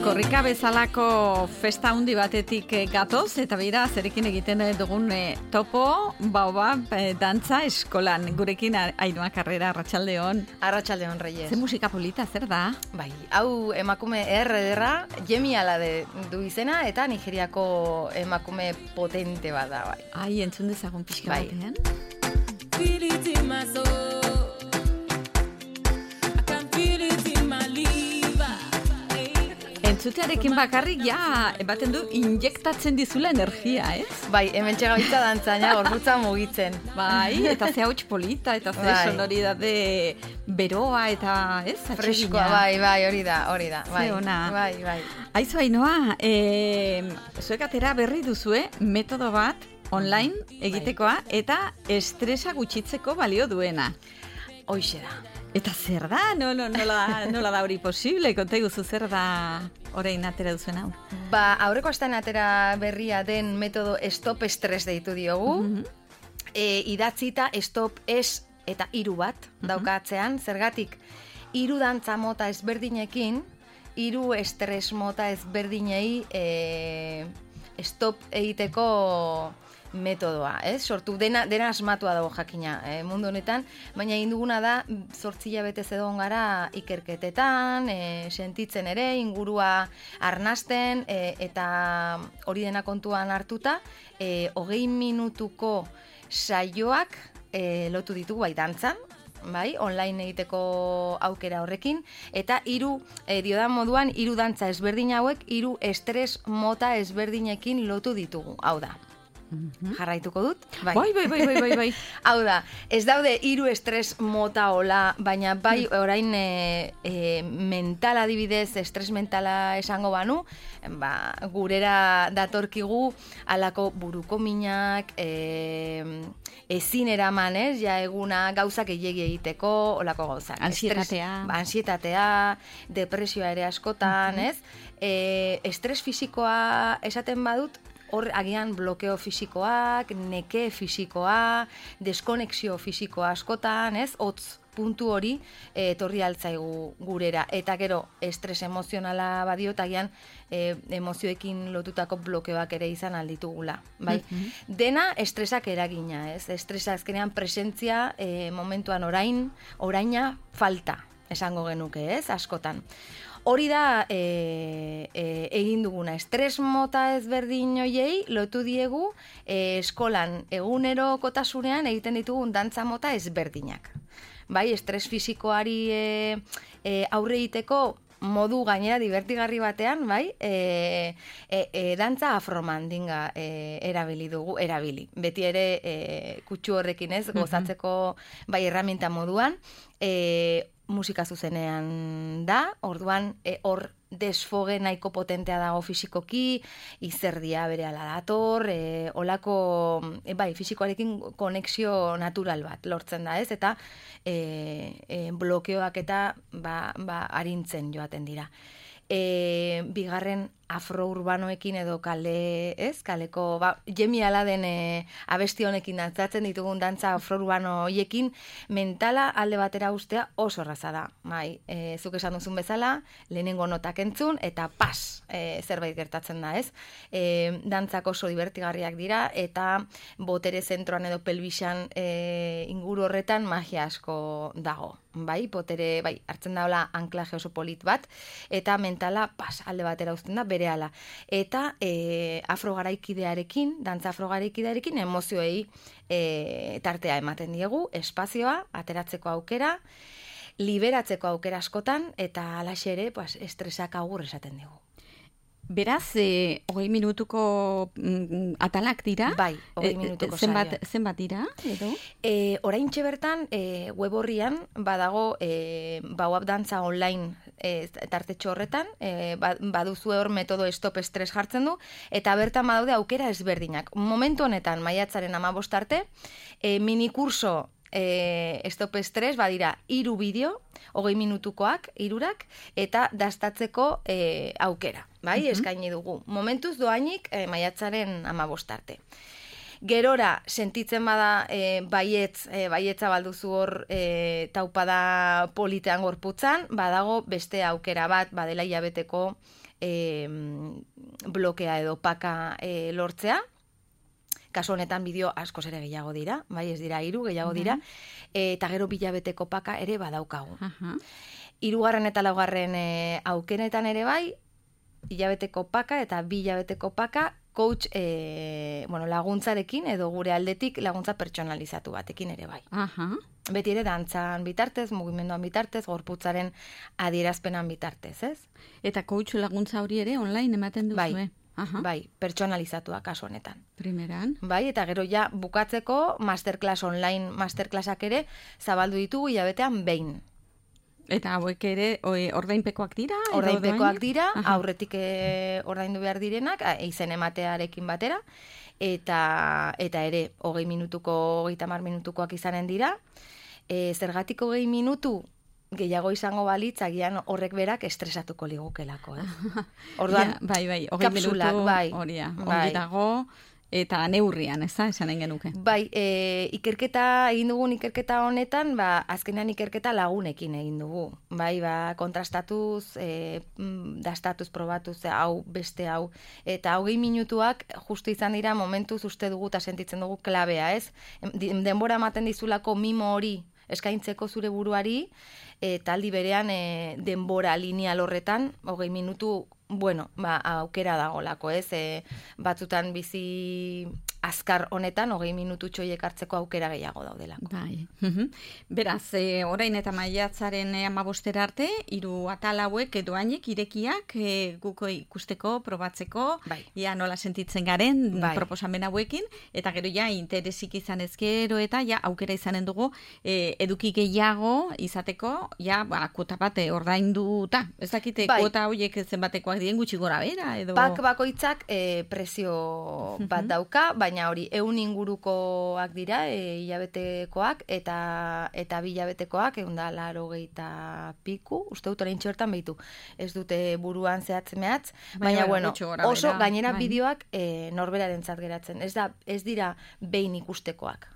Korrika bezalako festa handi batetik gatoz, eta bera, zerekin egiten dugun topo, dantza eskolan. Gurekin Ainhoa Carrera, arratsaldeon. Arratsaldeon, Reyes. Ze musika polita, zer da? Bai, hau emakume ederra, Yemi Alade du izena, eta Nigeriako emakume potente bat da, bai. Ai, entzun dezagun pixka batean. Entzutearekin bakarrik, ematen du, injektatzen dizula energia, ez? Bai, hemen txegabitza dantzaina, gorputza mugitzen. Bai, eta ze hauts polita, eta ze sonoridade beroa, eta ez? Freskoa, bai, hori da. Bai, ze ona. Bai. Aizu, Ainhoa, zuek atera berri duzue metodo bat online egitekoa, eta estresa gutxitzeko balio duena. Hoixe da. Eta zer da? Nola da hori posible? Konta iguzu zer da orain atera duzen hau? Aurreko astean atera berria den metodo stop estres deitu diogu. Idatzita stop es eta 3 bat daukatzean. Zergatik, 3 dantza mota ezberdinekin, 3 estres mota ezberdinei stop egiteko metodoa, sortu dena asmatua dago jakina mundu honetan, baina egin duguna da 8 hilabetez egon gara ikerketetan, sentitzen ere, ingurua arnasten, eta hori dena kontuan hartuta, 20 minutuko saioak lotu ditugu bai dantzan, bai, online egiteko aukera horrekin, eta 3 diodan moduan 3 dantza ezberdin hauek 3 estres mota ezberdinekin lotu ditugu, hau da. Jarraituko dut? Bai. Hau da, ez daude 3 estres mota hola, baina bai orain mental adibidez, estres mentala esango banu, gurera datorkigu alako buruko minak, ezin eraman, eguna gauzak gehiegi egiteko, olako gauzak. Ansietatea, depresioa ere askotan, estres fisikoa esaten badut, hor agian blokeo fisikoak, neke fisikoa, deskonexio fisikoa askotan, hotz puntu hori etorri altzaigu gurera. Eta gero, estres emozionala badiot, agian emozioekin lotutako blokeoak ere izan alditugula. Bai? Dena estresak eragina, estresa azkenean presentzia momentuan oraina falta, esango genuke, askotan. Hori da egin duguna, estres mota ezberdin hoiei lotu diegu eskolan egunerokotasunean egiten ditugun dantza mota ezberdinak. Bai, estres fisikoari aurre egiteko modu gainera divertigarri batean, bai, dantza afromandinga erabili. Beti ere kutsu horrekin gozatzeko bai erraminta moduan, musika zuzenean da, orduan hor desfoge nahiko potentea dago fisikoki, izerdia berehala dator, olako, fisikoarekin konexio natural bat lortzen da, eta blokeoak eta arintzen joaten dira. Bigarren afrourbanoekin edo kaleko, Yemi Aladen abesti honekin dantzatzen ditugun dantza afrourbano hoiekin, mentala alde batera ustea oso erraza da. Zuk esan duzun bezala, lehenengo notak entzun, eta zerbait gertatzen da, Dantzak oso divertigarriak dira, eta botere zentroan edo pelbisan inguru horretan magia asko dago. Botere, hartzen daula anklaje oso polit bat, eta mentala alde batera uzten da, berehala. Eta dantza afrogaraikidearekin emozioei tartea ematen diegu, espazioa, ateratzeko aukera, liberatzeko aukera askotan, eta alaxe ere, estresak agur esaten digu. Beraz, 20 minutuko atalak dira? Bai, 20 minutuko saioa. Zenbat dira? Oraintxe bertan, web horrian, badago Bauab dantza online tartetxo horretan, baduzue hor metodo stop estres jartzen du, eta bertan badaude aukera ezberdinak. Momentu honetan, maiatzaren 15 arte, minikurso stop estres badira 3 bideo, 20 minutukoak, 3-ak, eta dastatzeko aukera, eskaini dugu. Momentuz doainik maiatzaren 15 arte. Gerora, sentitzen bada baietza balduzu hor taupada politean gorputzan, badago beste aukera bat, badela hilabeteko blokea edo paka lortzea. Kasu honetan bideo askoz ere gehiago dira, bai, ez dira 3 gehiago dira, eta gero 2 hilabeteko paka ere badaukagu. 3. eta 4. aukeretan ere bai, hilabeteko paka eta 2 hilabeteko paka coach laguntzarekin edo gure aldetik laguntza pertsonalizatu batekin ere bai. Beti ere dantzan bitartez, mugimenduan bitartez, gorputzaren adierazpenan bitartez, ez? Eta coach laguntza hori ere online ematen duzu, Bai, pertsonalizatua kasu honetan. Primeran. Bai, eta gero ja bukatzeko masterclass online, masterclassak ere zabaldu ditugu hilabetean behin. Eta hauek ere ordainpekoak dira? Ordainpekoak dira, aurretik ordaindu behar direnak, izen ematearekin batera, eta ere 20 minutuko, 30 minutukoak izanen dira. Zergatik 20 minutu gehiago izango balitz, agian horrek berak estresatuko ligukelako, Orduan, bai, 20 kapsulak, minutu, horia, ongi dago, eta neurrian, ez da, esanen genuke. Bai, egin dugun ikerketa honetan, azkenean ikerketa lagunekin egin dugu. Bai, kontrastatuz, dastatuz, probatuz, hau, beste hau. Eta 20 minutuak justu izan dira momentuz uste dugu eta sentitzen dugu klabea, ez? Denbora ematen dizulako mimo hori eskaintzeko zure buruari, eta aldi berean denbora lineal horretan, 20 minutu, aukera dagolako, ez? Batzutan bizi azkar honetan, 20 minutu txoiek hartzeko aukera gehiago daudelako. Bai. Beraz, orain eta maiatzaren 15 arte, 3 atal hauek edo hainek irekiak guko ikusteko, probatzeko, ia nola sentitzen garen proposamen hauekin, eta gero ja interesik izan ezkero eta ja aukera izanen dugu eduki gehiago izateko, ja kuota bat ordainduta. Ez dakite kuota horiek zenbatekoak diren gutxi gora bera edo... Pak bakoitzak prezio bat dauka, baina hori 100 ingurukoak dira, hilabetekoak, eta 2 hilabetekoak, 180 piku, uste dut orain txortan behitu. Ez dute buruan zehatz mehatz, baina oso gainera bideoak norberarentzat geratzen. Ez dira behin ikustekoak.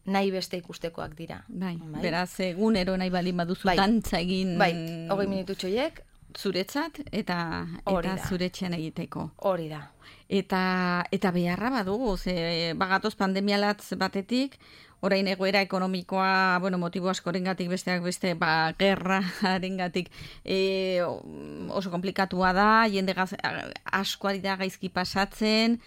Nahi beste ikustekoak dira. Beraz, egunero nahi baldin baduzu dantza egin... 20 minutu txoiek, zuretzat eta zuretxean egiteko. Hori da. Eta beharra badugu, bagatoz pandemialatz batetik, orain egoera ekonomikoa, motibo askorengatik besteak beste, gerrarengatik oso komplikatua da, jende asko ari da gaizki pasatzen,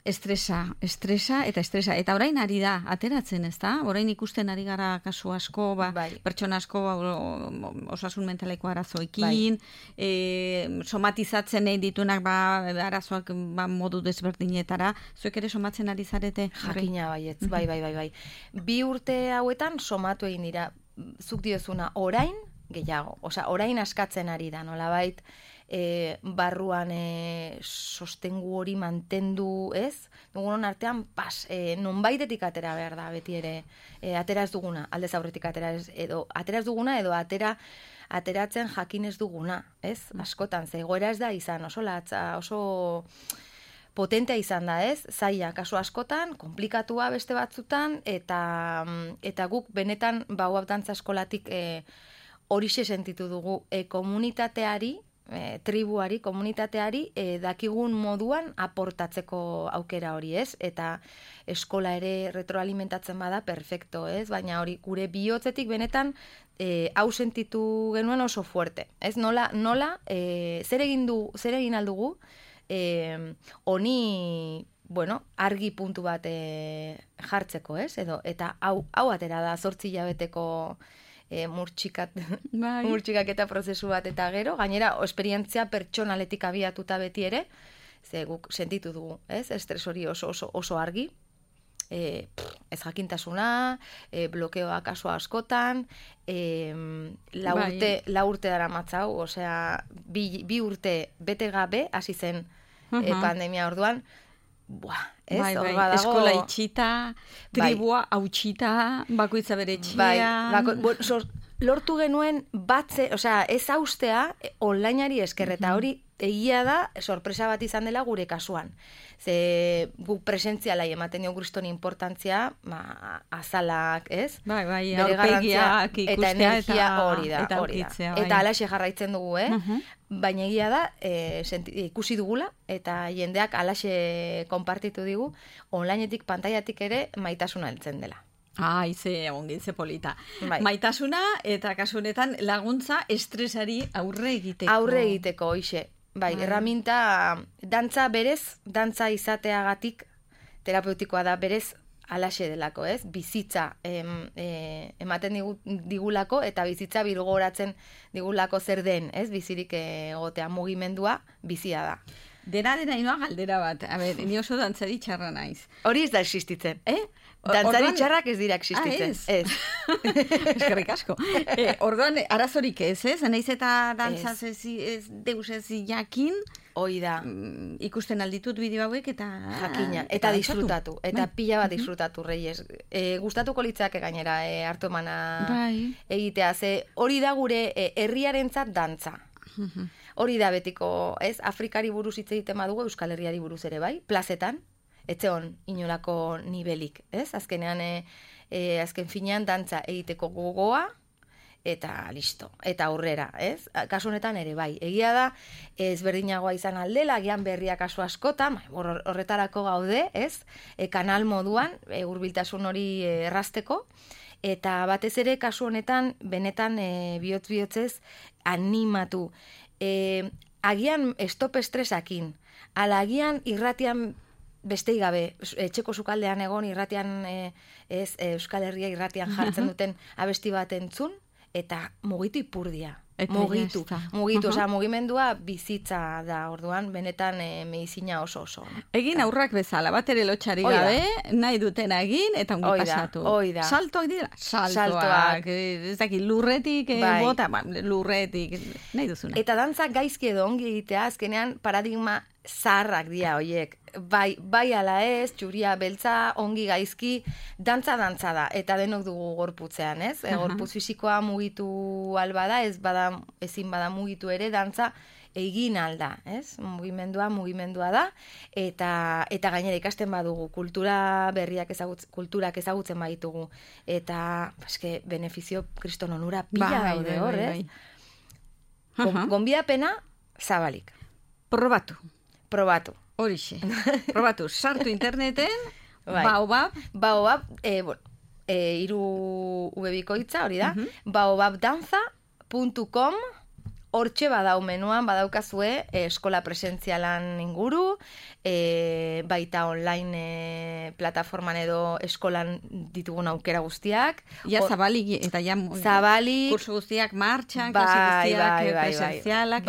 estresa. Eta orain ari da, ateratzen, ez da? Orain ikusten ari gara kasu asko, pertsona asko osasun mentaleko arazoekin, somatizatzen egin ditunak arazoak modu desberdinetara. Zuek ere somatzen ari zarete? Jakina baietz, bai. 2 urte hauetan somatu egin dira, zuk diozuna orain gehiago. Orain askatzen ari da, nolabait, barruan sostengu hori mantendu, ez? Dugunon artean, nonbaitetik atera behar da, beti ere, atera ez duguna, aldez aurretik atera ez duguna, edo ateratzen jakin ez duguna, ez? Askotan, egoera ez da izan, oso latza, oso potentea izan da, ez? Zaila, kasu askotan, komplikatua beste batzutan, eta guk benetan, dantza eskolatik horixe sentitu dugu, komunitateari, tribuari, komunitateari, dakigun moduan aportatzeko aukera hori, ez? Eta eskola ere retroalimentatzen bada, perfecto, ez? Baina hori gure bihotzetik benetan hau sentitu genuen oso fuerte, ez? Nola, zer egin aldugu, honi, argi puntu bat jartzeko, ez? Eta hau atera da 8 hilabeteko murtxikaketa prozesu bat eta gero, gainera esperientzia pertsonaletik abiatuta beti ere, ze guk sentitu dugu, ez? Estres hori oso argi, ez jakintasuna, blokeoa kasu askotan, 4 urte dara matzau, osea, 2 urte bete gabe, hasi zen pandemia orduan, eskola itxita, tribua hautxita, bakoitza bere etxia. lortu genuen ez haustea onlineari esker, eta hori egia da sorpresa bat izan dela gure kasuan. Ze guk presentzialai ematen dio kriston importantzia, azalak, ez? Bai, aurpegiak ikustea eta energia hori da. Bai. Eta alaxe jarraitzen dugu, Baina egia da, ikusi dugula, eta jendeak alaxe konpartitu digu, onlineetik, pantailatik ere maitasuna heltzen dela. Ze polita. Bai. Maitasuna eta kasu honetan laguntza estresari aurre egiteko. Aurre egiteko, hoxe. Bai, erraminta, dantza izateagatik, terapeutikoa da berez, alaxe delako, ez? Bizitza ematen digulako, eta bizitza birgoratzen digulako zer den, ez? Bizirik egotea mugimendua, bizia da. Dena inoa galdera bat. Ni oso dantzari txarra naiz. Hori ez da existitzen. Dantzari txarrak ez dira existitzen. Ez. Eskerrik asko. Orduan, arazorik ez? Naiz eta dantzaz ez deus ez jakin. Hoi da. Ikusten alditut bideo hauek eta... Jakina. Eta disfrutatu. Eta pila bat disfrutatu, Reyes. Gustatuko litzake gainera hartu emana egitea. Hori da gure herriarentzat dantza. Hori da betiko, ez? Afrikari buruz hitz egiten badugu, Euskal Herriari buruz ere bai, plazetan, etzeon inolako nivelik, ez? Azkenean, azken finean dantza egiteko gogoa, eta listo, eta aurrera, ez? Kasu honetan ere bai. Egia da, ezberdinagoa izan aldela, agian berria kasu askotan, horretarako gaude, ez? Kanal moduan, hurbiltasun hori errazteko, eta batez ere kasu honetan, benetan bihotz-bihotzez animatu. Agian stop estresakin, ala agian irratian bestei gabe, etxeko sukaldean egon irratian, Euskal Herria irratian jartzen duten abesti bat entzun, eta mugitu ipurdia. Mugitu, osea, mugimendua bizitza da, orduan, benetan medizina oso. Egin aurrak bezala, bat ere lotxari gabe, nahi duten egin, eta ongi pasatu. Oida. Saltoak dira? Saltoak. Ez dakit, lurretik, bota, lurretik, nahi duzuna. Eta dantza gaizki edo ongi egitea, azkenean paradigma zaharrak dira, oiek. Bai ala ez, txuria beltza, ongi gaizki, dantza da, eta denok dugu gorputzean, ez? Gorputz fisikoa mugitu alba da, ezin bada mugitu ere, dantza egin alda, ez? Mugimendua da, eta gainera ikasten badugu, kulturak ezagutzen baditugu, eta, benefizio kriston onura pila daude hor, ez? Gonbidapena zabalik. Probatu. Horixe. Probatu, sartu interneten, Baobab. Baobab, hiru ubebikoitza, hori da, baobabdanza.com, hortxe badau menuan, badaukazue eskola presentzialan inguru, baita online plataforman edo eskolan ditugun aukera guztiak. Zabalik, eta kurso guztiak martxan, klase guztiak presentzialak.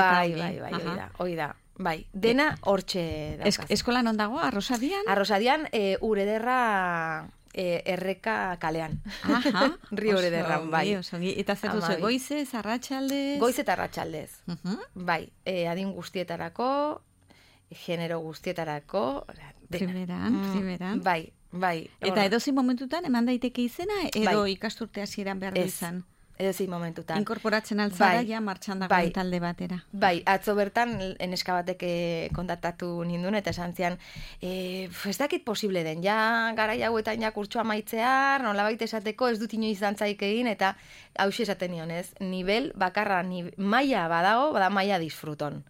Hoi da. Bai, dena hortxe daukaz. Eskola non dago, Arrosadian? Arrosadian, Urederra erreka kalean. Rio Urederran, bai. Eta zer duzu, goizez, arratsaldez? Goiz eta arratsaldez. Bai, adin guztietarako, genero guztietarako. Primeran. Bai. Eta edozin momentutan, eman daiteke izena, edo ikasturte hasieran behar izan? Edozin momentutan. Inkorporatzen altzara, ja martxan dagoen talde batera. Bai, atzo bertan, eneska batek kontaktatu nindun, eta esan zian, ez dakit posible den, ja garai hauetan ja kurtsoa maitzear, nolabait esateko ez dut inoiz dantzaik egin, eta hauxe esaten nionez, nivel bakarra, maila badago, bada maila disfruton.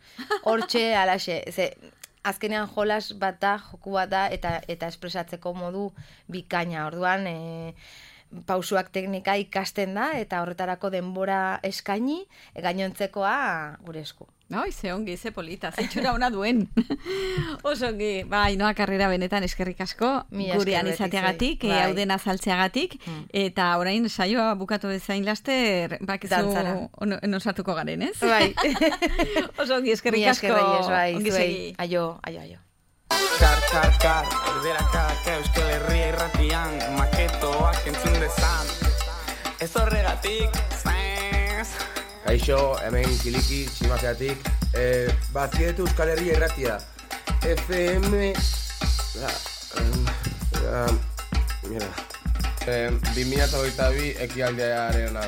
Hortxe, alaxe, azkenean jolas bat da, joku bat da, eta espresatzeko modu bikaina, orduan, pausuak teknika ikasten da, eta horretarako denbora eskaini, gainontzekoa gure esku. Ze ongi, ze polita, zeitxura ona duen. Oso ongi, Ainoa Karrera benetan eskerrik asko, gurean izateagatik, hau dena azaltzeagatik, eta orain saioa bukatu bezain laster, bakizu nosatuko garen, ez? Bai. Oso ongi, eskerrik asko. Ongi segi. Aio. Kar, erderakak Euskal Herria irratian, maketoak entzun dezan. Ez horregatik, Kaixo, hemen Kiliki, Tximazeatik. Bazietu Euskal Herria irratia. FM... Mira. 2022 ekialdearen da.